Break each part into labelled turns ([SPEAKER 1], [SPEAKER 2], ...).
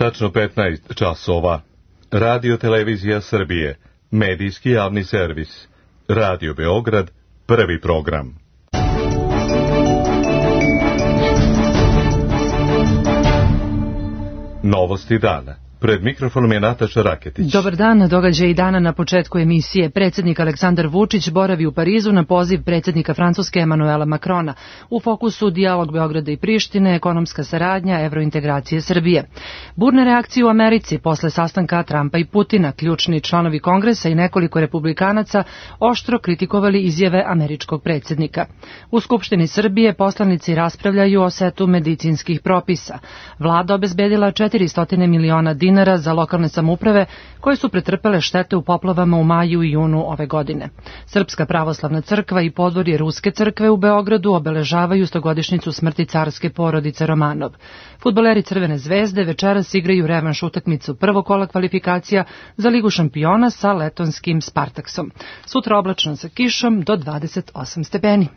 [SPEAKER 1] Tačno 15 časova. Radio Televizija Srbije. Medijski javni servis. Radio Beograd. Prvi program. Novosti dana. Pred mikrofonom je Nataša Raketić.
[SPEAKER 2] Dobar dan, događaj dana na početku emisije. Predsjednik Aleksandar Vučić boravi u Parizu na poziv predsjednika Francuske Emanuela Macrona. U fokusu dijalog Beograda i Prištine, ekonomska saradnja, evrointegracije Srbije. Burne reakcije u Americi posle sastanka Trumpa i Putina. Ključni članovi Kongresa i nekoliko republikanaca oštro kritikovali izjave američkog predsjednika. U Skupštini Srbije poslanici raspravljaju o setu medicinskih propisa. Vlada obezbedila 400 miliona dinara za lokalne samouprave koje su pretrpele štete u poplavama u maju i junu ove godine. Srpska pravoslavna crkva i podvorje Ruske crkve u Beogradu obeležavaju 100-godišnjicu smrti carske porodice Romanov. Fudbaleri Crvene zvezde večeras igraju revanš utakmicu prvog kola kvalifikacija za Ligu šampiona sa letonskim Spartaksom. Sutra oblačno sa kišom do 28 stepeni.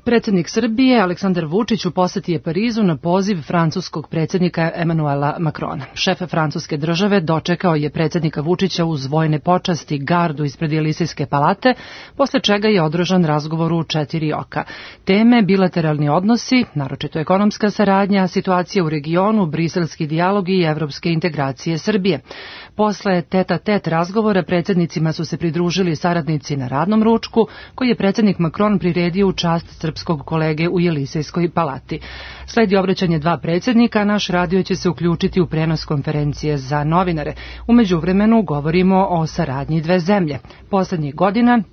[SPEAKER 2] Predsjednik Srbije Aleksandar Vučić u poseti je Parizu na poziv francuskog predsjednika Emanuela Macrona. Šef francuske države dočekao je predsjednika Vučića uz vojne počasti, gardu ispred Jelisejske palate, posle čega je održan razgovor u 4 oka. Teme bilateralni odnosi, naročito ekonomska saradnja, situacija u regionu, briselski dijalog i evropske integracije Srbije. Posle tete-a-tet razgovora predsjednicima su se pridružili saradnici na radnom ručku, koji je predsjednik Macron priredio u čast srpskog kolege u Jelisejskoj palati. Sledi obraćanje dva predsjednika, naš radio će se uključiti u prenos konferencije za novinare. U međuvremenu govorimo o saradnji dve zemlje. Poslednjih godina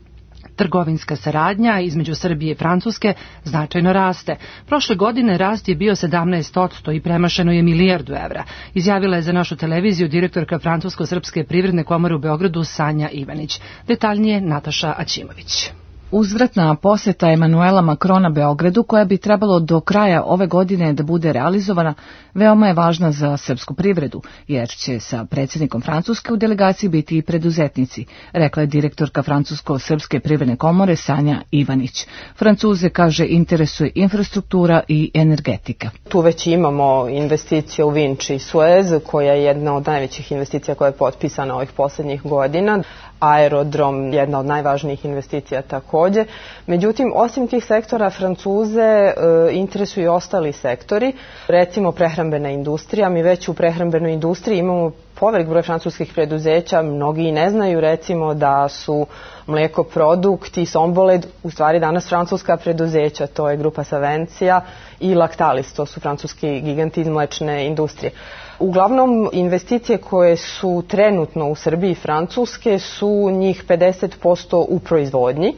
[SPEAKER 2] trgovinska saradnja između Srbije i Francuske značajno raste. Prošle godine rast je bio 17% i premašeno je milijardu evra. Izjavila je za našu televiziju direktorka Francusko-srpske privredne komore u Beogradu Sanja Ivanić. Detaljnije Nataša Aćimović.
[SPEAKER 3] Uzvratna poseta Emanuela Macrona Beogradu, koja bi trebalo do kraja ove godine da bude realizovana, veoma je važna za srpsku privredu, jer će sa predsjednikom Francuske u delegaciji biti i preduzetnici, rekla je direktorka Francusko-srpske privredne komore Sanja Ivanić. Francuze, kaže, interesuje infrastruktura i energetika.
[SPEAKER 4] Tu već imamo investicije u Vinči i Suez, koja je jedna od najvećih investicija koja je potpisana ovih posljednjih godina. Aerodrom, jedna od najvažnijih investicija također. Međutim, osim tih sektora, Francuze interesuju i ostali sektori. Recimo prehrambena industrija. Mi već u prehrambenoj industriji imamo povelik broj francuskih preduzeća. Mnogi i ne znaju, recimo, da su Mlekoprodukt i Somboled u stvari danas francuska preduzeća. To je grupa Savencija i Lactalis, to su francuski giganti iz mlečne industrije. Uglavnom, investicije koje su trenutno u Srbiji i Francuske su njih 50% u proizvodnji.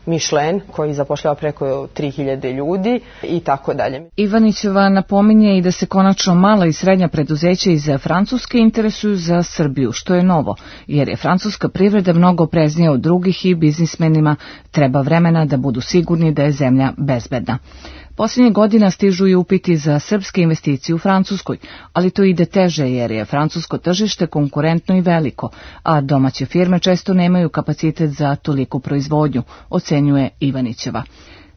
[SPEAKER 4] Michelin, koji zapošljava preko 3000 ljudi i tako dalje.
[SPEAKER 3] Ivanićeva napominje i da se konačno mala i srednja preduzeća iz Francuske interesuju za Srbiju, što je novo, jer je francuska privreda mnogo opreznija od drugih i biznismenima treba vremena da budu sigurni da je zemlja bezbedna. Posljednjih godina stižu i upiti za srpske investicije u Francuskoj, ali to ide teže jer je francusko tržište konkurentno i veliko, a domaće firme često nemaju kapacitet za toliku proizvodnju, ocenjuje Ivanićeva.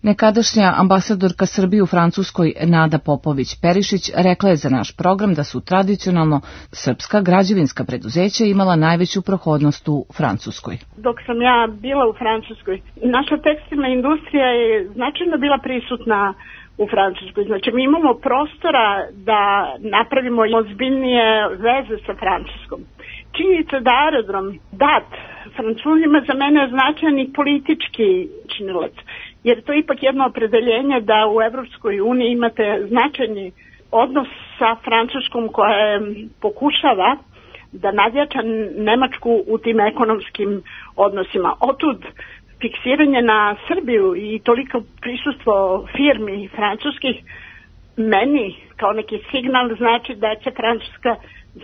[SPEAKER 3] Nekadašnja ambasadorka Srbije u Francuskoj Nada Popović-Perišić rekla je za naš program da su tradicionalno srpska građevinska preduzeća imala najveću prohodnost u Francuskoj.
[SPEAKER 5] Dok sam ja bila u Francuskoj, naša tekstilna industrija je značajno bila prisutna u Francuskoj. Znači, mi imamo prostora da napravimo ozbiljnije veze sa Francuskom. Činjenica da aerodrom dat Francuzima za mene je značajan i politički činilac, jer to je ipak jedno opredeljenje da u Evropskoj uniji imate značajni odnos sa Francuskom koja pokušava da nadjača Nemačku u tim ekonomskim odnosima. Otud fiksiranje na Srbiju i toliko prisustvo firmi francuskih meni kao neki signal znači da će Francuska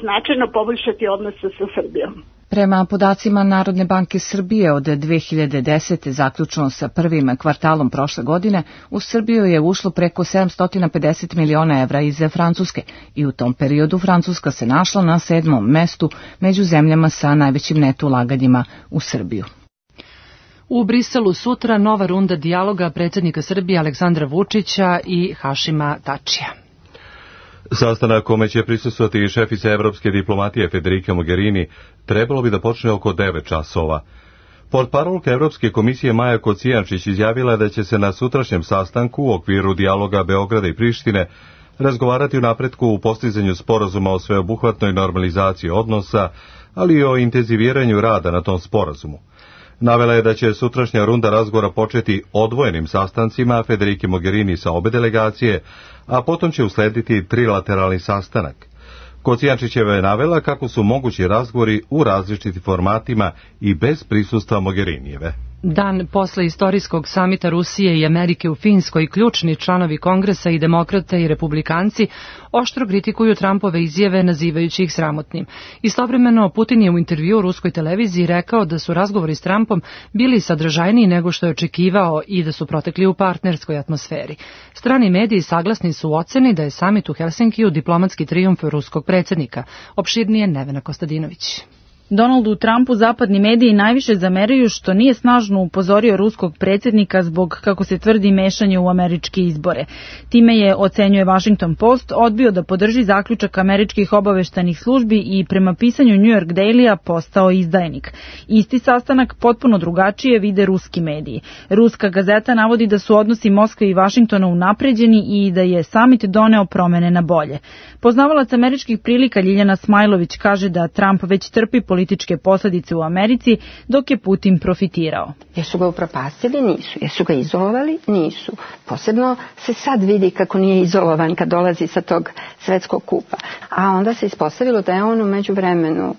[SPEAKER 5] značajno poboljšati odnose sa Srbijom.
[SPEAKER 3] Prema podacima Narodne banke Srbije od 2010. zaključno sa prvim kvartalom prošle godine, u Srbiju je ušlo preko 750 miliona evra iz Francuske i u tom periodu Francuska se našla na 7. mestu među zemljama sa najvećim neto ulaganjima u Srbiju.
[SPEAKER 2] U Briselu sutra nova runda dijaloga predsjednika Srbije Aleksandra Vučića i Hašima Tačija.
[SPEAKER 1] Sastanak kome će prisustvovati šefica evropske diplomatije Federica Mogherini trebalo bi da počne oko 9 časova. Portparolka Evropske komisije Maja Kocijančić izjavila da će se na sutrašnjem sastanku u okviru dijaloga Beograda i Prištine razgovarati o napretku u postizanju sporazuma o sveobuhvatnoj normalizaciji odnosa, ali i o intenziviranju rada na tom sporazumu. Navela je da će sutrašnja runda razgovora početi odvojenim sastancima Federike Mogherini sa obe delegacije, a potom će uslediti trilateralni sastanak. Kocijančićeva je navela kako su mogući razgovori u različitim formatima i bez prisustva Mogherinijeve.
[SPEAKER 2] Dan posle istorijskog samita Rusije i Amerike u Finskoj, ključni članovi Kongresa i demokrate i republikanci oštro kritikuju Trumpove izjave nazivajući ih sramotnim. Istovremeno, Putin je u intervjuu ruskoj televiziji rekao da su razgovori s Trumpom bili sadržajniji nego što je očekivao i da su protekli u partnerskoj atmosferi. Strani mediji saglasni su u oceni da je samit u Helsinkiju diplomatski trijumf ruskog predsjednika. Opširnije Nevena Kostadinović.
[SPEAKER 6] Donaldu Trumpu zapadni mediji najviše zameraju što nije snažno upozorio ruskog predsjednika zbog, kako se tvrdi, mešanja u američke izbore. Time je, ocenjuje Washington Post, odbio da podrži zaključak američkih obaveštajnih službi i prema pisanju New York Dailya postao izdajnik. Isti sastanak potpuno drugačije vide ruski mediji. Ruska gazeta navodi da su odnosi Moskve i Vašingtona unapređeni i da je samit doneo promene na bolje. Poznavalac američkih prilika Ljiljana Smajlović kaže da Trump već trpi političke posljedice u Americi, dok je Putin profitirao.
[SPEAKER 7] Jesu ga upropastili? Nisu. Jesu ga izolovali? Nisu. Posebno se sad vidi kako nije izolovan kad dolazi sa tog svetskog kupa. A onda se ispostavilo da je on u međuvremenu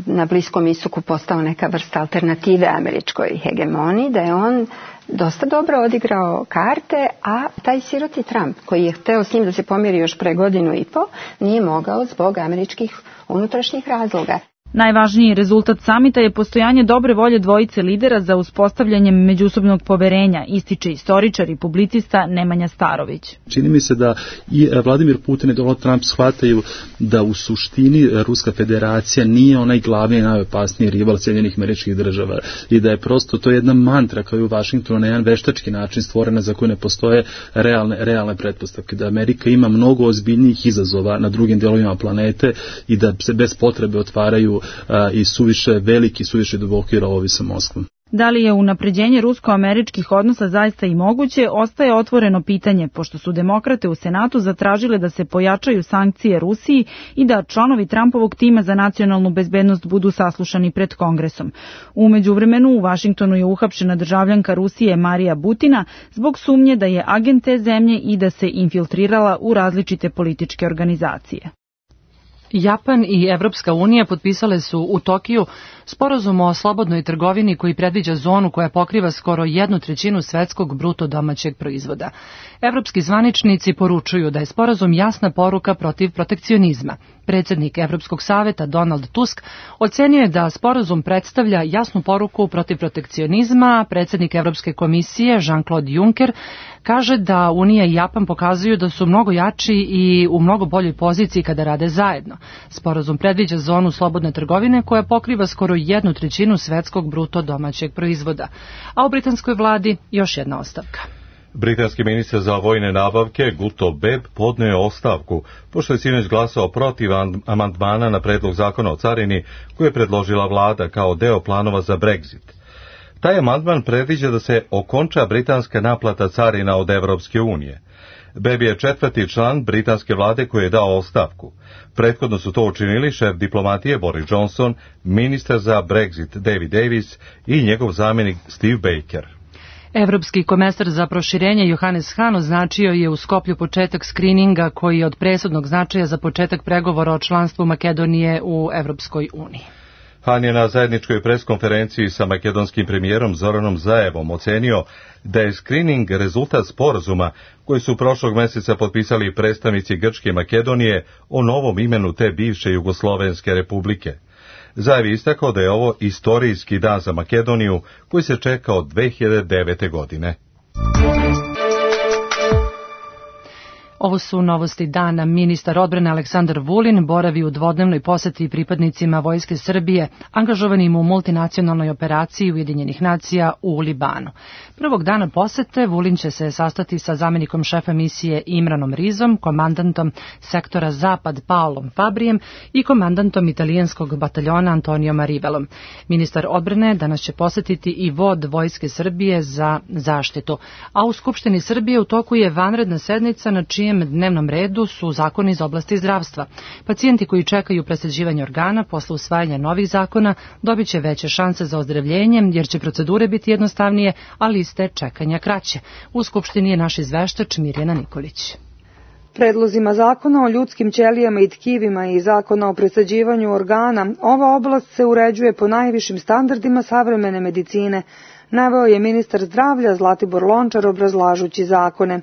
[SPEAKER 7] na Bliskom istoku postao neka vrsta alternative američkoj hegemoniji, da je on dosta dobro odigrao karte, a taj siroti Trump, koji je hteo s njim da se pomiri još pre 1.5 godina, nije mogao zbog američkih unutrašnjih razloga.
[SPEAKER 6] Najvažniji rezultat samita je postojanje dobre volje dvojice lidera za uspostavljanjem međusobnog poverenja, ističe istoričar i publicista Nemanja Starović.
[SPEAKER 8] Čini mi se da i Vladimir Putin i Donald Trump shvataju da u suštini Ruska federacija nije onaj glavni i najopasniji rival Sjedinjenih Američkih Država i da je prosto to jedna mantra koja je u Vašingtonu na jedan veštački način stvorena za koju ne postoje realne pretpostavke, da Amerika ima mnogo ozbiljnijih izazova na drugim dijelovima planete i da se bez potrebe otvaraju i suviše veliki, suviše duboki rovovi sa Moskvom.
[SPEAKER 6] Da li je unapređenje rusko-američkih odnosa zaista i moguće, ostaje otvoreno pitanje, pošto su demokrate u Senatu zatražile da se pojačaju sankcije Rusiji i da članovi Trumpovog tima za nacionalnu bezbednost budu saslušani pred Kongresom. U međuvremenu u Vašingtonu je uhapšena državljanka Rusije Marija Butina zbog sumnje da je agent te zemlje i da se infiltrirala u različite političke organizacije.
[SPEAKER 2] Japan i Evropska unija potpisale su u Tokiju sporazum o slobodnoj trgovini koji predviđa zonu koja pokriva skoro 1/3 svetskog bruto domaćeg proizvoda. Evropski zvaničnici poručuju da je sporazum jasna poruka protiv protekcionizma. Predsjednik Evropskog saveta Donald Tusk ocenio je da sporazum predstavlja jasnu poruku protiv protekcionizma. Predsjednik Evropske komisije Jean-Claude Juncker kaže da Unija i Japan pokazuju da su mnogo jači i u mnogo boljoj poziciji kada rade zajedno. Sporazum predviđa zonu slobodne trgovine koja pokriva skoro 1/3 svetskog bruto domaćeg proizvoda. A u britanskoj vladi još jedna ostavka.
[SPEAKER 1] Britanski ministar za vojne nabavke Guto Beb podneo je ostavku, pošto je sinoć glasao protiv amandmana na predlog zakona o carini koje je predložila vlada kao deo planova za Brexit. Taj amandman predviđa da se okonča britanska naplata carina od Evropske unije. Beb je 4. član britanske vlade koji je dao ostavku. Prethodno su to učinili šef diplomatije Boris Johnson, ministar za Brexit David Davis i njegov zamjenik Steve Baker.
[SPEAKER 2] Evropski komesar za proširenje Johannes Hahn označio je u Skoplju početak skrininga koji je od presudnog značaja za početak pregovora o članstvu Makedonije u Evropskoj uniji.
[SPEAKER 1] Hahn je na zajedničkoj preskonferenciji sa makedonskim premijerom Zoranom Zaevom ocenio da je skrining rezultat sporazuma koji su prošlog mjeseca potpisali predstavnici Grčke i Makedonije o novom imenu te bivše Jugoslovenske republike. Zaev je istakao da je ovo istorijski dan za Makedoniju koji se čeka od 2009. godine.
[SPEAKER 2] Ovo su novosti dana. Ministar odbrane Aleksandar Vulin boravi u dvodnevnoj poseti pripadnicima Vojske Srbije angažovanim u multinacionalnoj operaciji Ujedinjenih nacija u Libanu. Prvog dana posete Vulin će se sastati sa zamenikom šefa misije Imranom Rizom, komandantom sektora Zapad Paolom Fabrijem i komandantom italijanskog bataljona Antonijom Rivelom. Ministar odbrane danas će posetiti i vod Vojske Srbije za zaštitu, a u Skupštini Srbije u toku je vanredna sednica na čijem dnevnom redu su zakoni iz oblasti zdravstva. Pacijenti koji čekaju presađivanje organa posle usvajanja novih zakona dobit će veće šanse za ozdravljenje, jer će procedure biti jednostavnije, a liste čekanja kraće. U Skupštini je naš izveštač Mirjana Nikolić.
[SPEAKER 9] Predlozima zakona o ljudskim ćelijama i tkivima i zakona o presađivanju organa, ova oblast se uređuje po najvišim standardima savremene medicine, naveo je ministar zdravlja Zlatibor Lončar obrazlažući zakone.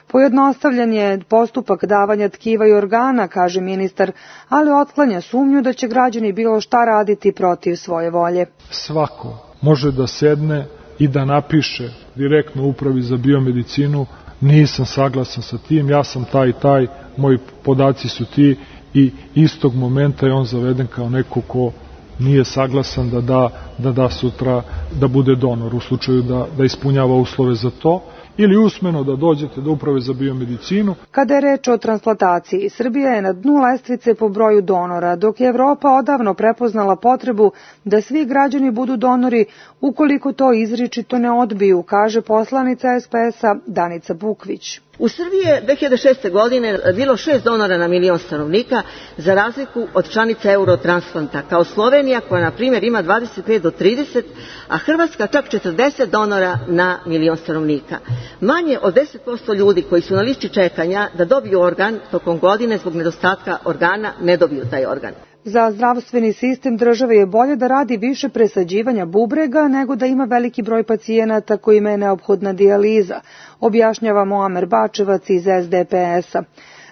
[SPEAKER 9] Pojednostavljen je postupak davanja tkiva i organa, kaže ministar, ali otklanja sumnju da će građani bilo šta raditi protiv svoje volje.
[SPEAKER 10] Svako može da sedne i da napiše direktno upravi za biomedicinu: nisam saglasan sa tim, ja sam taj i taj, moji podaci su ti, i istog momenta je on zaveden kao neko ko nije saglasan da da sutra da bude donor u slučaju da ispunjava uslove za to, ili usmeno da dođete do uprave za biomedicinu.
[SPEAKER 9] Kada je reč o transplantaciji, Srbija je na dnu lestvice po broju donora, dok je Evropa odavno prepoznala potrebu da svi građani budu donori ukoliko to izričito ne odbiju, kaže poslanica SPS-a Danica Bukvić.
[SPEAKER 11] U Srbiji je 2006. godine bilo 6 donora na milion stanovnika, za razliku od članica Eurotransplanta, kao Slovenija koja, na primjer, ima 25 do 30, a Hrvatska čak 40 donora na milion stanovnika. Manje od 10% ljudi koji su na listi čekanja da dobiju organ tokom godine zbog nedostatka organa ne dobiju taj organ.
[SPEAKER 9] Za zdravstveni sistem države je bolje da radi više presađivanja bubrega nego da ima veliki broj pacijenata kojima je neophodna dijaliza, objašnjava Muamer Bačevac iz SDPS-a.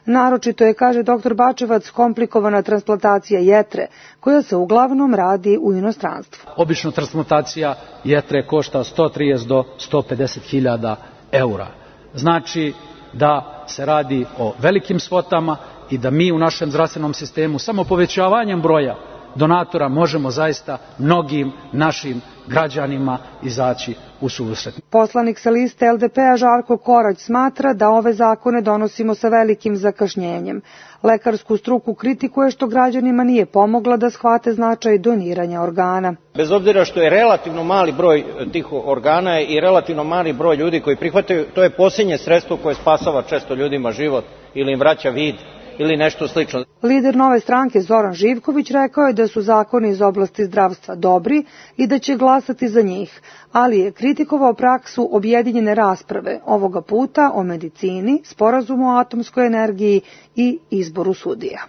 [SPEAKER 9] Naročito je, kaže dr. Bačevac, komplikovana transplantacija jetre, koja se uglavnom radi u inostranstvu.
[SPEAKER 12] Obično transplantacija jetre košta 130 do 150 hiljada eura. Znači da se radi o velikim svotama i da mi u našem zdravstvenom sistemu samo povećavanjem broja donatora možemo zaista mnogim našim građanima izaći u susret.
[SPEAKER 9] Poslanik sa liste LDP-a Žarko Korać smatra da ove zakone donosimo sa velikim zakašnjenjem. Lekarsku struku kritikuje što građanima nije pomogla da shvate značaj doniranja organa.
[SPEAKER 13] Bez obzira što je relativno mali broj tih organa i relativno mali broj ljudi koji prihvataju, to je posljednje sredstvo koje spasava često ljudima život ili im vraća vid ili nešto slično.
[SPEAKER 9] Lider Nove stranke Zoran Živković rekao je da su zakoni iz oblasti zdravstva dobri i da će glasati za njih, ali je kritikovao praksu objedinjene rasprave, ovoga puta o medicini, sporazumu o atomskoj energiji i izboru sudija.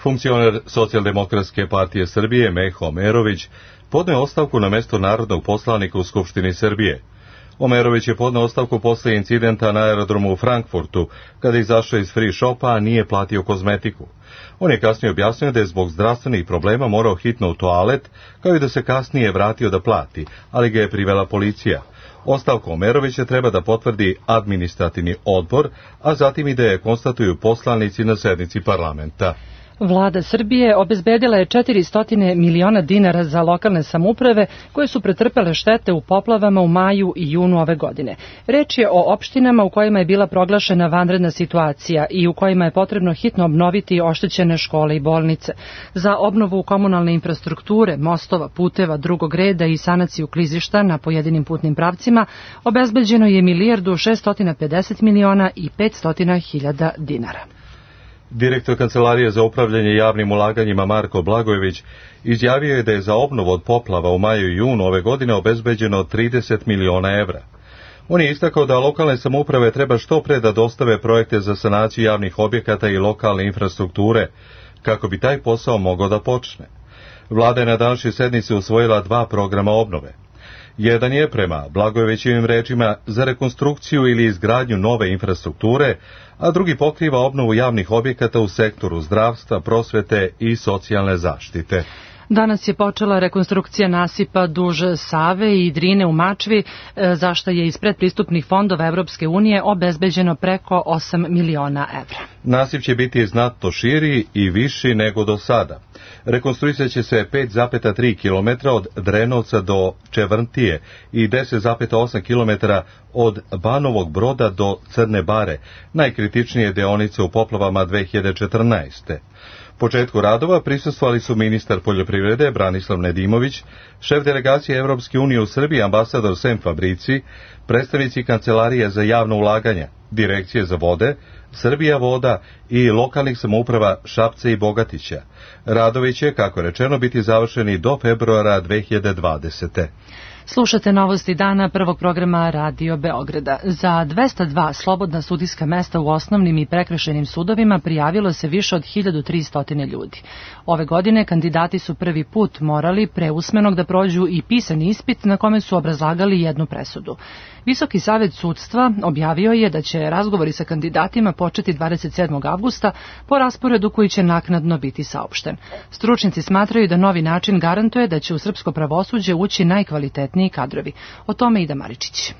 [SPEAKER 1] Funkcioner Socijaldemokratske partije Srbije Meho Omerović podneo ostavku na mesto narodnog poslanika u Skupštini Srbije. Omerović je podneo ostavku posle incidenta na aerodromu u Frankfurtu, kada je izašao iz free shopa, a nije platio kozmetiku. On je kasnije objasnio da je zbog zdravstvenih problema morao hitno u toalet, kao i da se kasnije vratio da plati, ali ga je privela policija. Ostavku Omerovića treba da potvrdi administrativni odbor, a zatim i da je konstatuju poslanici na sednici parlamenta.
[SPEAKER 2] Vlada Srbije obezbedila je 400 miliona dinara za lokalne samouprave koje su pretrpele štete u poplavama u maju i junu ove godine. Reč je o opštinama u kojima je bila proglašena vanredna situacija i u kojima je potrebno hitno obnoviti oštećene škole i bolnice. Za obnovu komunalne infrastrukture, mostova, puteva drugog reda i sanaciju klizišta na pojedinim putnim pravcima obezbeđeno je 1.650 miliona i 500.000 dinara.
[SPEAKER 1] Direktor Kancelarije za upravljanje javnim ulaganjima Marko Blagojević izjavio je da je za obnovu od poplava u maju i junu ove godine obezbeđeno 30 miliona evra. On je istakao da lokalne samouprave treba što pre da dostave projekte za sanaciju javnih objekata i lokalne infrastrukture, kako bi taj posao mogao da počne. Vlada je na današnjoj sednici usvojila 2 programa obnove. Jedan je, prema Blagojevićevim rečima, za rekonstrukciju ili izgradnju nove infrastrukture, a drugi pokriva obnovu javnih objekata u sektoru zdravstva, prosvete i socijalne zaštite.
[SPEAKER 2] Danas je počela rekonstrukcija nasipa duž Save i Drine u Mačvi, za što je iz predpristupnih fondova Evropske unije obezbeđeno preko 8 miliona evra.
[SPEAKER 1] Nasip će biti znatno širi i viši nego do sada. Rekonstruisat će se 5,3 km od Drenovca do Čevrntije i 10,8 km od Banovog Broda do Crne Bare, najkritičnije deonice u poplavama 2014. Početku radova prisustvovali su ministar poljoprivrede Branislav Nedimović, šef delegacije Evropske unije u Srbiji ambasador Sem Fabrici, predstavnici Kancelarije za javno ulaganje, Direkcije za vode, Srbija voda i lokalnih samouprava Šapca i Bogatića. Radovi će, kako je rečeno, biti završeni do februara 2020.
[SPEAKER 2] Slušate novosti dana prvog programa Radio Beograda. Za 202 slobodna sudijska mesta u osnovnim i prekršajnim sudovima prijavilo se više od 1300 ljudi. Ove godine kandidati su prvi put morali pre usmenog da prođu i pisani ispit na kome su obrazlagali jednu presudu. Visoki savet sudstva objavio je da će razgovori sa kandidatima početi 27. avgusta po rasporedu koji će naknadno biti saopšten. Stručnjaci smatraju da novi način garantuje da će u srpsko pravosuđe ući najkvalitetniji kadrovi. O tome Ida Maričić.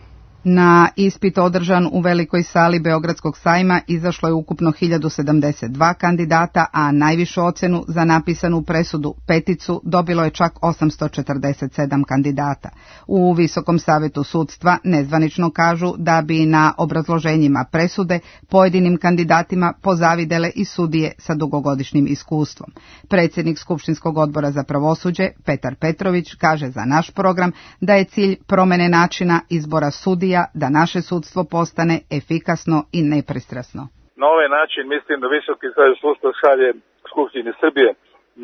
[SPEAKER 14] Na ispit održan u velikoj sali Beogradskog sajma izašlo je ukupno 1072 kandidata, a najvišu ocenu za napisanu presudu peticu dobilo je čak 847 kandidata. U Visokom savetu sudstva nezvanično kažu da bi na obrazloženjima presude pojedinim kandidatima pozavidele i sudije sa dugogodišnjim iskustvom. Predsjednik Skupštinskog odbora za pravosuđe Petar Petrović kaže za naš program da je cilj promene načina izbora sudija da naše sudstvo postane efikasno i nepristrasno.
[SPEAKER 15] Na ovaj način mislim da Visoki savet sudstva šalje Skupštini Srbije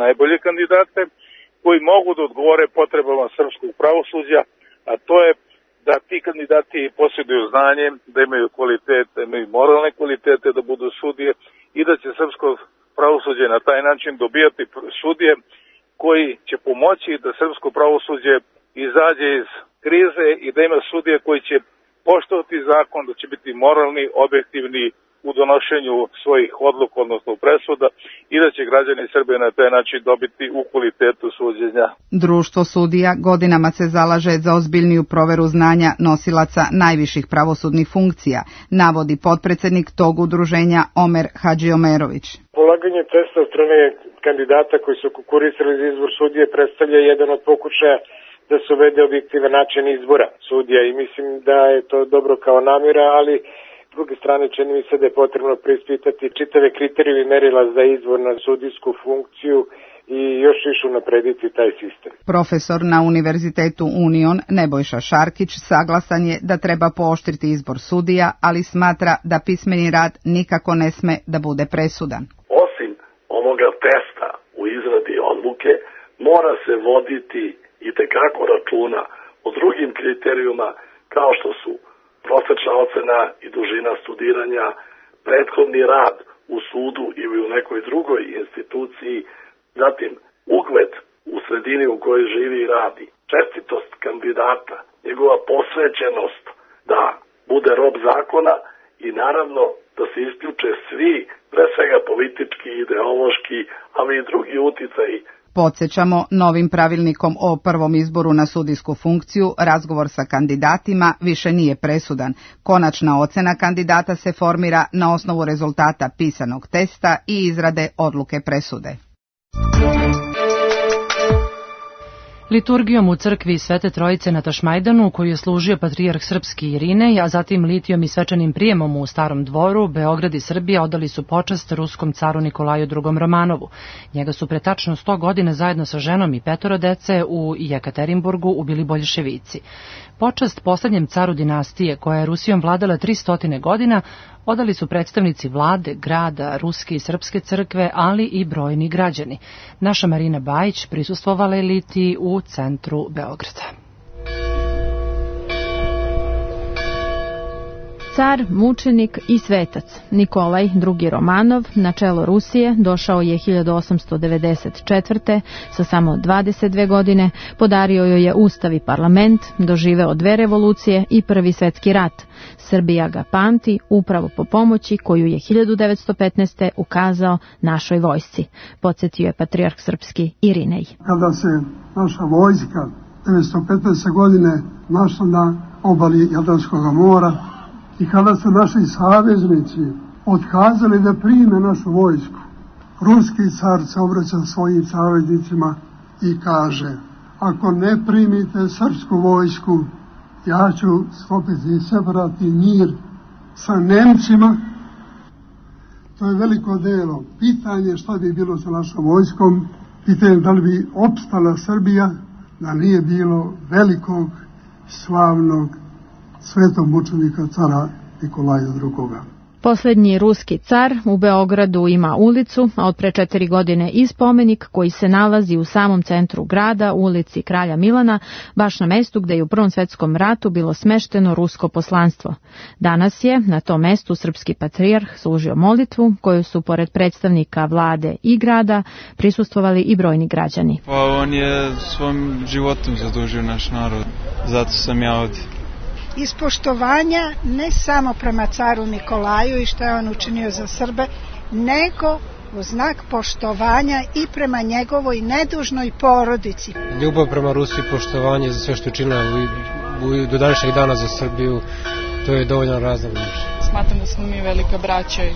[SPEAKER 15] najbolje kandidate koji mogu da odgovore potrebama srpskog pravosuđa, a to je da ti kandidati posjeduju znanje, da imaju kvalitet, da imaju moralne kvalitete da budu sudije i da će srpsko pravosuđe na taj način dobijati sudije koji će pomoći da srpsko pravosuđe izađe iz krize i da ima sudije koji će poštovati zakon, da će biti moralni, objektivni u donošenju svojih odluka, odnosno presuda, i da će građani Srbije na taj način dobiti u kvalitetu suđenja.
[SPEAKER 14] Društvo sudija godinama se zalaže za ozbiljniju proveru znanja nosilaca najviših pravosudnih funkcija, navodi potpredsednik tog udruženja Omer Hadžiomerović.
[SPEAKER 16] Polaganje testa od strane kandidata koji su konkurisali za izbor sudije predstavlja jedan od pokušaja da se uvede objektivan način izbora sudija i mislim da je to dobro kao namjera, ali s druge strane čini mi se da je potrebno preispitati čitave kriterije i merila za izbor na sudijsku funkciju i još više unaprediti taj sistem.
[SPEAKER 14] Profesor na Univerzitetu Union Nebojša Šarkić saglasan je da treba pooštriti izbor sudija, ali smatra da pismeni rad nikako ne sme da bude presudan.
[SPEAKER 17] Osim ovoga testa u izradi odluke mora se voditi i tekako računa o drugim kriterijuma kao što su prosečna ocena i dužina studiranja, prethodni rad u sudu ili u nekoj drugoj instituciji, zatim ugled u sredini u kojoj živi i radi, čestitost kandidata, njegova posvećenost da bude rob zakona i naravno da se isključe svi, pre svega politički, ideološki, ali i drugi uticaji.
[SPEAKER 14] Podsjećamo, novim pravilnikom o prvom izboru na sudijsku funkciju razgovor sa kandidatima više nije presudan. Konačna ocena kandidata se formira na osnovu rezultata pisanog testa i izrade odluke presude.
[SPEAKER 2] Liturgijom u crkvi Svete Trojice na Tašmajdanu, koju je služio patrijarh srpski Irinej, a zatim litijom i svečanim prijemom u Starom dvoru, Beograd i Srbija odali su počast ruskom caru Nikolaju II. Romanovu. Njega su pre tačno 100 godina zajedno sa ženom i 5 dece u Jekaterinburgu ubili boljševici. Počast poslednjem caru dinastije, koja je Rusijom vladala 300 godina, odali su predstavnici vlade, grada, ruske i srpske crkve, ali i brojni građani. Naša Marina Bajić prisustvovala je litiji u centru Beograda.
[SPEAKER 6] Car, mučenik i svetac Nikolaj II. Romanov na čelo Rusije došao je 1894. sa samo 22 godine, podario joj je ustav i parlament, doživeo 2 revolucije i Prvi svetski rat. Srbija ga pamti upravo po pomoći koju je 1915. ukazao našoj vojsci, podsjetio je patrijarh srpski Irinej.
[SPEAKER 18] Kada se naša vojska 1915. godine našla na obali Jadranskog mora i kada su naši saveznici otkazali da prime našu vojsku, ruski car se obraća svojim saveznicima i kaže: ako ne primite srpsku vojsku, ja ću sklopiti separatni mir sa Nemcima. To je veliko delo. Pitanje šta bi bilo sa našom vojskom, pitanje da li bi opstala Srbija da nije bilo velikog, slavnog, svetog mučenika cara Nikolaja II.
[SPEAKER 6] Posljednji ruski car u Beogradu ima ulicu, a od pre 4 godine i spomenik koji se nalazi u samom centru grada, u ulici Kralja Milana, baš na mestu gde je u Prvom svetskom ratu bilo smešteno rusko poslanstvo. Danas je na tom mestu srpski patrijarh služio molitvu koju su pored predstavnika vlade i grada prisustvovali i brojni građani.
[SPEAKER 19] Pa on je svom životom zadužio naš narod, zato sam ja ovdje.
[SPEAKER 20] Iz poštovanja ne samo prema caru Nikolaju i što je on učinio za Srbe, nego u znak poštovanja i prema njegovoj nedužnoj porodici.
[SPEAKER 21] Ljubav prema Rusiji, poštovanje za sve što je učinila do današnjeg dana za Srbiju, to je dovoljan razlog.
[SPEAKER 22] Smatram da smo mi velika braća i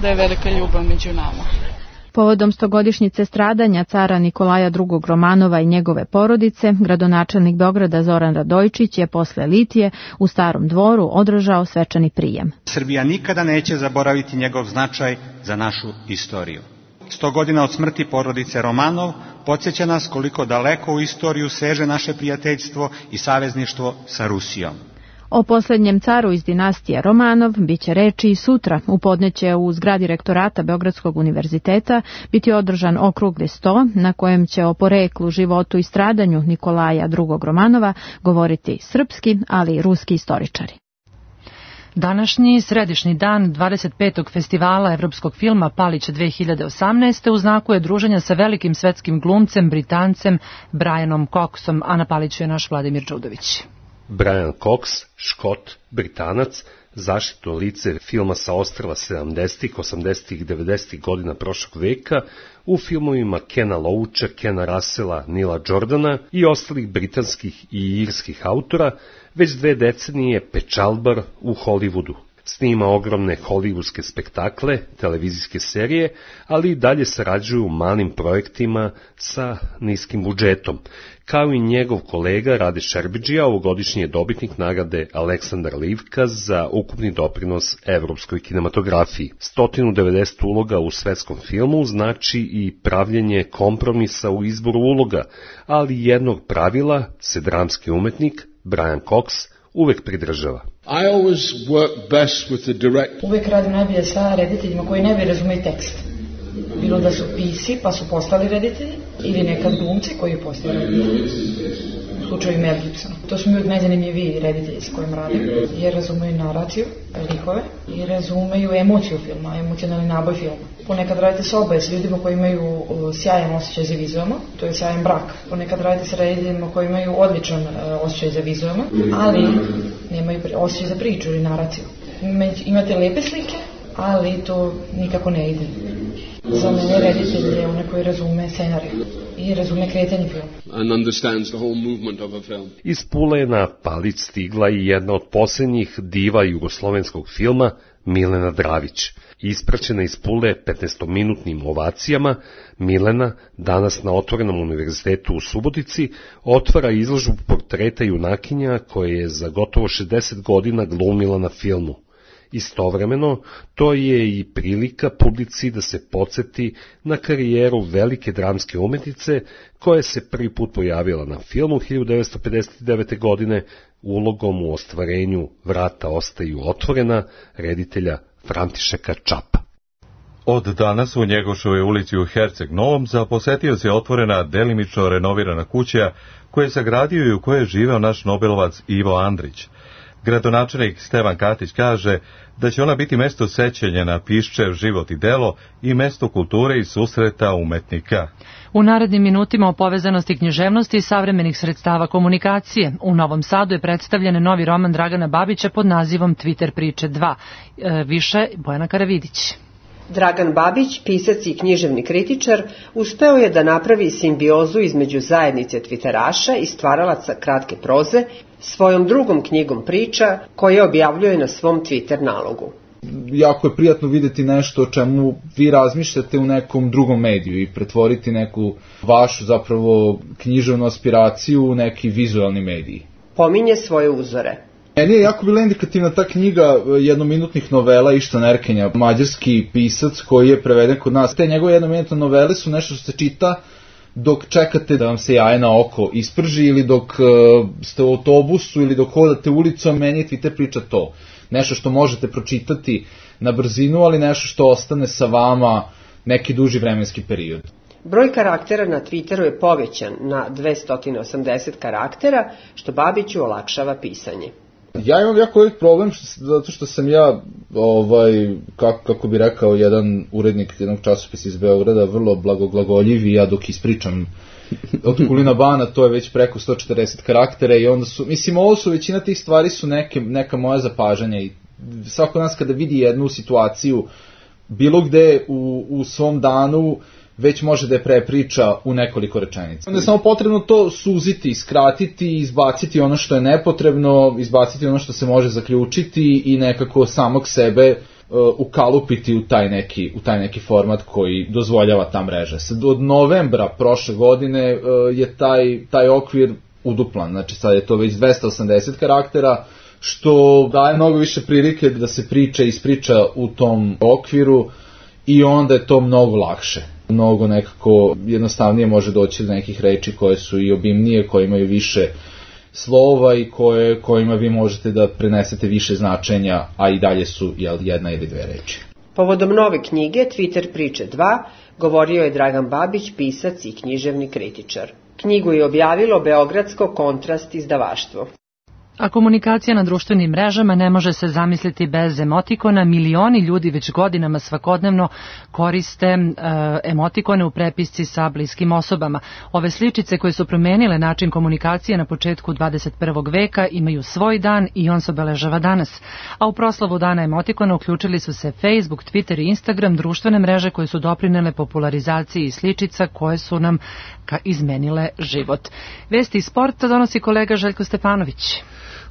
[SPEAKER 22] da je velika ljubav među nama.
[SPEAKER 6] Povodom 100-godišnjice stradanja cara Nikolaja II. Romanova i njegove porodice, gradonačelnik Beograda Zoran Radojičić je posle litije u Starom dvoru održao svečani prijem.
[SPEAKER 23] Srbija nikada neće zaboraviti njegov značaj za našu istoriju. 100 godina od smrti porodice Romanov podsjeća nas koliko daleko u istoriju seže naše prijateljstvo i savezništvo sa Rusijom.
[SPEAKER 6] O posljednjem caru iz dinastije Romanov biće reči i sutra. U podne će u zgradi rektorata Beogradskog univerziteta biti održan okrugli sto na kojem će o poreklu, životu i stradanju Nikolaja II. Romanova govoriti srpski, ali i ruski istoričari.
[SPEAKER 2] Današnji središnji dan 25. festivala evropskog filma Palić 2018. u znaku je druženja sa velikim svetskim glumcem, Britancem Brianom Coxom, a na Paliću je naš Vladimir Đudović.
[SPEAKER 24] Brian Cox, Škot, Britanac, zaštitno lice filma sa ostrva 70-ih, 80-ih, 90-ih godina prošlog veka, u filmovima Kena Loacha, Kena Russella, Nila Jordana i ostalih britanskih i irskih autora, već 2 decenije pečalbar u Hollywoodu. Snima ogromne hollywoodske spektakle, televizijske serije, ali i dalje sarađuju u malim projektima sa niskim budžetom. Kao i njegov kolega Rade Šerbidžija, ovogodišnji je dobitnik nagrade Aleksandar Livka za ukupni doprinos evropskoj kinematografiji. 190 uloga u svetskom filmu znači i pravljenje kompromisa u izboru uloga, ali jednog pravila se dramski umetnik Brian Cox uvek pridržava.
[SPEAKER 25] Uvek radim najbolje sa rediteljima koji ne bi razumeli tekst. Bilo da su pisci pa su postali reditelji ili nekad glumci koji postali reditelji. U slučaju Mel Gibsona. To su mi uvijek najzanimljiviji reditelji s kojim radim, jer razumeju naraciju, likove i razumeju emociju filma, emocionalni naboj filma. Ponekad radite s oboje s ljudima koji imaju sjajan osjećaj za vizualno, to je sjajan brak. Ponekad radite s rediteljima koji imaju odličan osjećaj za vizualno, ali nemaju osjećaj za priču ili naraciju. Imate lepe slike, ali to nikako ne ide. Za mene reditelj je onaj koji razume scenariju i razume kretanje filma.
[SPEAKER 24] Iz Pule je na Palić stigla i jedna od posljednjih diva jugoslovenskog filma, Milena Dravić. Ispraćena iz Pule 15-minutnim ovacijama, Milena, danas na Otvorenom univerzitetu u Subotici, otvara izložbu portreta junakinja koje je za gotovo 60 godina glumila na filmu. Istovremeno, to je i prilika publici da se podsjeti na karijeru velike dramske umetnice koja se prvi put pojavila na filmu 1959. godine ulogom u ostvarenju Vrata ostaju otvorena reditelja Františeka Čapa.
[SPEAKER 1] Od danas u Njegošovoj ulici u Herceg Novom za posetioce je otvorena delimično renovirana kuća koju je sagradio i u kojoj je živeo naš Nobelovac Ivo Andrić. Gradonačelnik Stevan Katić kaže da će ona biti mesto sećanja na Piščev život i delo i mesto kulture i susreta umetnika.
[SPEAKER 2] U narednim minutima o povezanosti književnosti i savremenih sredstava komunikacije. U Novom Sadu je predstavljen novi roman Dragana Babića pod nazivom Twitter priče 2. Više Bojana Karavidić.
[SPEAKER 3] Dragan Babić, pisac i književni kritičar, uspeo je da napravi simbiozu između zajednice twitteraša i stvaralaca kratke proze svojom drugom knjigom priča koje objavljuje na svom Twitter nalogu.
[SPEAKER 4] Jako je prijatno videti nešto o čemu vi razmišljate u nekom drugom mediju i pretvoriti neku vašu zapravo književnu aspiraciju u neki vizualni mediji.
[SPEAKER 3] Pominje svoje uzore.
[SPEAKER 4] Meni je jako bila indikativna ta knjiga jednominutnih novela Ištvana Erkenja, mađarski pisac koji je preveden kod nas. Te njegove jednominutne novele su nešto što se čita dok čekate da vam se jaje na oko isprži ili dok ste u autobusu ili dok hodate ulicom. Meni je Twitter priča to. Nešto što možete pročitati na brzinu, ali nešto što ostane sa vama neki duži vremenski period.
[SPEAKER 3] Broj karaktera na Twitteru je povećan na 280 karaktera, što Babiću olakšava pisanje.
[SPEAKER 4] Ja imam jako velik problem zato što sam ja, kako bi rekao jedan urednik jednog časopisa iz Beograda, vrlo blagoglagoljiv i ja dok ispričam od Kulina Bana, to je već preko 140 karaktera i onda su, ovo su, većina tih stvari su neka moja zapažanja i svako nas kada vidi jednu situaciju bilo gde u svom danu već može da je prepriča u nekoliko rečenica. Onda je samo potrebno to suziti, skratiti, izbaciti ono što je nepotrebno, izbaciti ono što se može zaključiti i nekako samog sebe ukalupiti u taj neki format koji dozvoljava ta mreža. Od novembra prošle godine je taj okvir uduplan, znači sad je to već 280 karaktera, što daje mnogo više prilike da se ispriča u tom okviru i onda je to mnogo lakše. Mnogo nekako jednostavnije može doći do nekih reči koje su i obimnije, koje imaju više slova i kojima vi možete da prenesete više značenja, a i dalje su jedna ili dve reči.
[SPEAKER 3] Povodom nove knjige Twitter priče 2 govorio je Dragan Babić, pisac i književni kritičar. Knjigu je objavilo beogradsko Kontrast izdavaštvo.
[SPEAKER 2] A komunikacija na društvenim mrežama ne može se zamisliti bez emotikona. Milioni ljudi već godinama svakodnevno koriste emotikone u prepisci sa bliskim osobama. Ove sličice koje su promenile način komunikacije na početku 21. veka imaju svoj dan i on se obeležava danas. A u proslavu dana emotikona uključili su se Facebook, Twitter i Instagram, društvene mreže koje su doprinele popularizaciji sličica koje su nam izmenile život. Vesti iz sporta donosi kolega Željko Stefanović.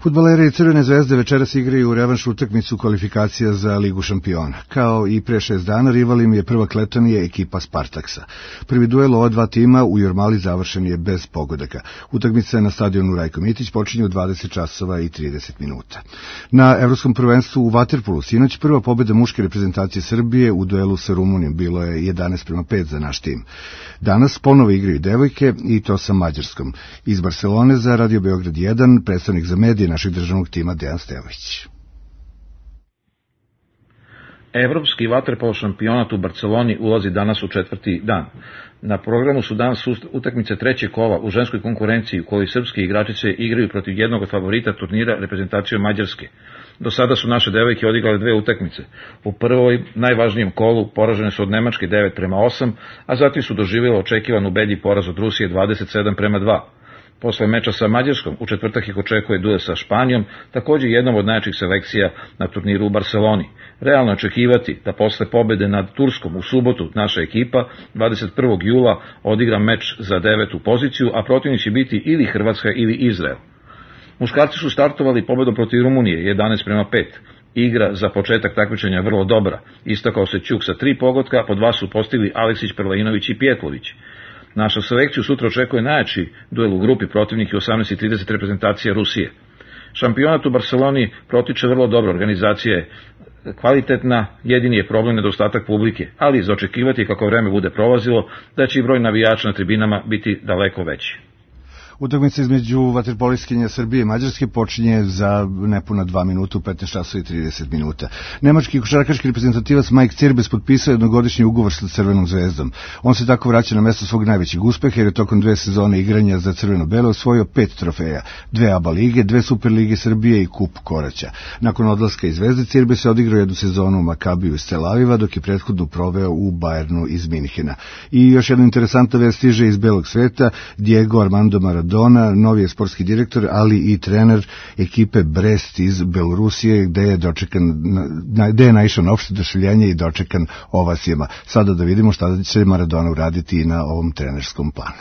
[SPEAKER 5] Fudbaleri Crvene zvezde večeras igraju revanš utakmicu kvalifikacija za Ligu šampiona. Kao i pre 6 dana, rival im je prva Klečanije ekipa Spartaksa. Prvi duel ova dva tima u Jurmali završen je bez pogodaka. Utakmica na stadionu Rajko Mitić počinje u 20 časova i 30 minuta. Na Evropskom prvenstvu u vaterpolu sinoć prva pobjeda muške reprezentacije Srbije u duelu sa Rumunijom, bilo je 11:5 za naš tim. Danas ponovo igraju devojke i to sa Mađarskom. Iz Barcelone za Radio Beograd 1, predstavnik za medije našeg državnog tima Dejan Stevović.
[SPEAKER 7] Evropski vaterpolo šampionat u Barceloni ulazi danas u 4. dan. Na programu su danas utakmice trećeg kola u ženskoj konkurenciji u kojoj srpske igračice igraju protiv jednog od favorita turnira reprezentacijom Mađarske. Do sada su naše devojke odigrale 2 utakmice. U prvoj, najvažnijem kolu, poražene su od Nemačke 9:8, a zatim su doživjele očekivan ubedljiv poraz od Rusije 27:2. Posle meča sa Mađarskom, u četvrtak ih očekuje duel sa Španijom, također jednom od najjačih selekcija na turniru u Barceloni. Realno očekivati da posle pobede nad Turskom u subotu naša ekipa 21. jula odigra meč za 9. poziciju, a protivnik će biti ili Hrvatska ili Izrael. Muškarci su startovali pobedom protiv Rumunije 11:5. Igra za početak takmičenja vrlo dobra. Istakao se Ćuk sa 3 pogotka, po 2 su postigli Aleksić, Perlainović i Pjetlović. Naša selekciju sutra očekuje najjači duel u grupi, protivnik je 18:30 reprezentacija Rusije. Šampionat u Barceloni protiče vrlo dobro, organizacija je kvalitetna, jedini je problem nedostatak publike, ali za očekivati kako vreme bude prolazilo da će i broj navijača na tribinama biti daleko veći.
[SPEAKER 5] Utakmica između vaterpolistkinja Srbije i Mađarske počinje za nepuna 2 minuta u 15 časova i 30 minuta. Nemački košarkaški reprezentativac Mike Cirbes potpisao jednogodišnji ugovor sa Crvenom zvezdom. On se tako vraća na mesto svog najvećeg uspeha jer je tokom 2 sezone igranja za Crveno-belo osvojio 5 trofeja, 2 ABA lige, 2 Superlige Srbije i kup Koraća. Nakon odlaska iz Zvezde, Cirbes je odigrao jednu sezonu u Makabiju iz Tel Aviva, dok je prethodno proveo u Bayernu iz Minhena. I još jedna interesantna vest stiže iz belog sveta. Diego Armando Maradona, novi je sportski direktor, ali i trener ekipe Brest iz Belorusije, gde je naišao na opšte oduševljenje i dočekan ovacijama. Sada da vidimo šta će Maradona uraditi na ovom trenerskom planu.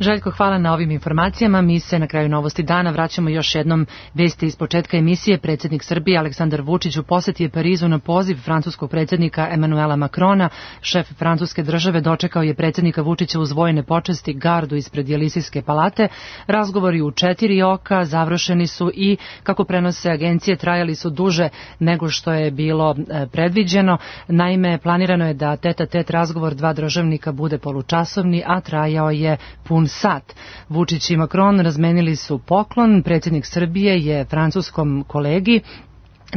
[SPEAKER 2] Željko, hvala na ovim informacijama. Mi se na kraju Novosti dana vraćamo još jednom vesti iz početka emisije. Predsjednik Srbije Aleksandar Vučić u posjeti je Parizu na poziv francuskog predsjednika Emanuela Makrona. Šef francuske države dočekao je predsjednika Vučića uz vojne počasti gardu ispred Jelisejske palate. Razgovori u 4 oka završeni su i, kako prenose agencije, trajali su duže nego što je bilo predviđeno. Naime, planirano je da tet-a-tet razgovor 2 državnika bude polučasovni, a trajao je pun sat. Vučić i Macron razmenili su poklon. Predsjednik Srbije je francuskom kolegi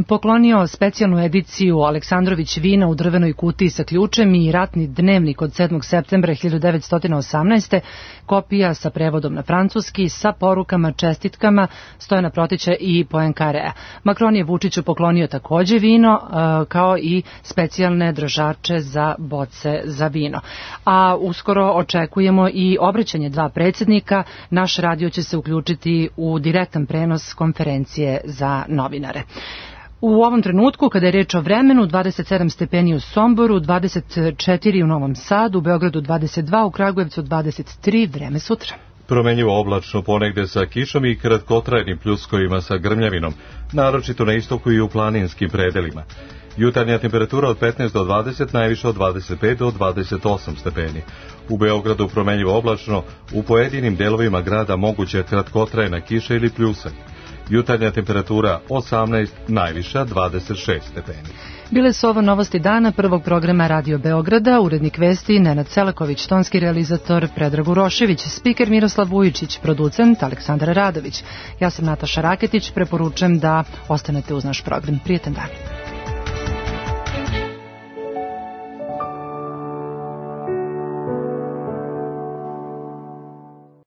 [SPEAKER 2] poklonio specijalnu ediciju Aleksandrović vina u drvenoj kutiji sa ključem i ratni dnevnik od 7. septembra 1918. Kopija sa prevodom na francuski, sa porukama, čestitkama Stojana Protića i Poincaréa. Macron je Vučiću poklonio takođe vino, kao i specijalne držače za boce za vino. A uskoro očekujemo i obraćanje 2 predsjednika. Naš radio će se uključiti u direktan prenos konferencije za novinare. U ovom trenutku, kada je reč o vremenu, 27 stepeni u Somboru, 24 u Novom Sadu, u Beogradu 22, u Kragujevcu 23, vreme sutra.
[SPEAKER 1] Promenljivo oblačno, ponegde sa kišom i kratkotrajnim pljuskovima sa grmljavinom, naročito na istoku i u planinskim predelima. Jutarnja temperatura od 15 do 20, najviše od 25 do 28 stepeni. U Beogradu promenljivo oblačno, u pojedinim delovima grada moguće kratkotrajna kiša ili pljusak. Jutarnja temperatura 18, najviša 26 stepeni.
[SPEAKER 2] Bile su ovo Novosti dana prvog programa Radio Beograda, urednik vesti Nenad Selaković, tonski realizator Predrag Urošević, spiker Miroslav Vujičić, producent Aleksandar Radović. Ja sam Nataša Raketić, preporučujem da ostanete uz naš program. Prijetan dan.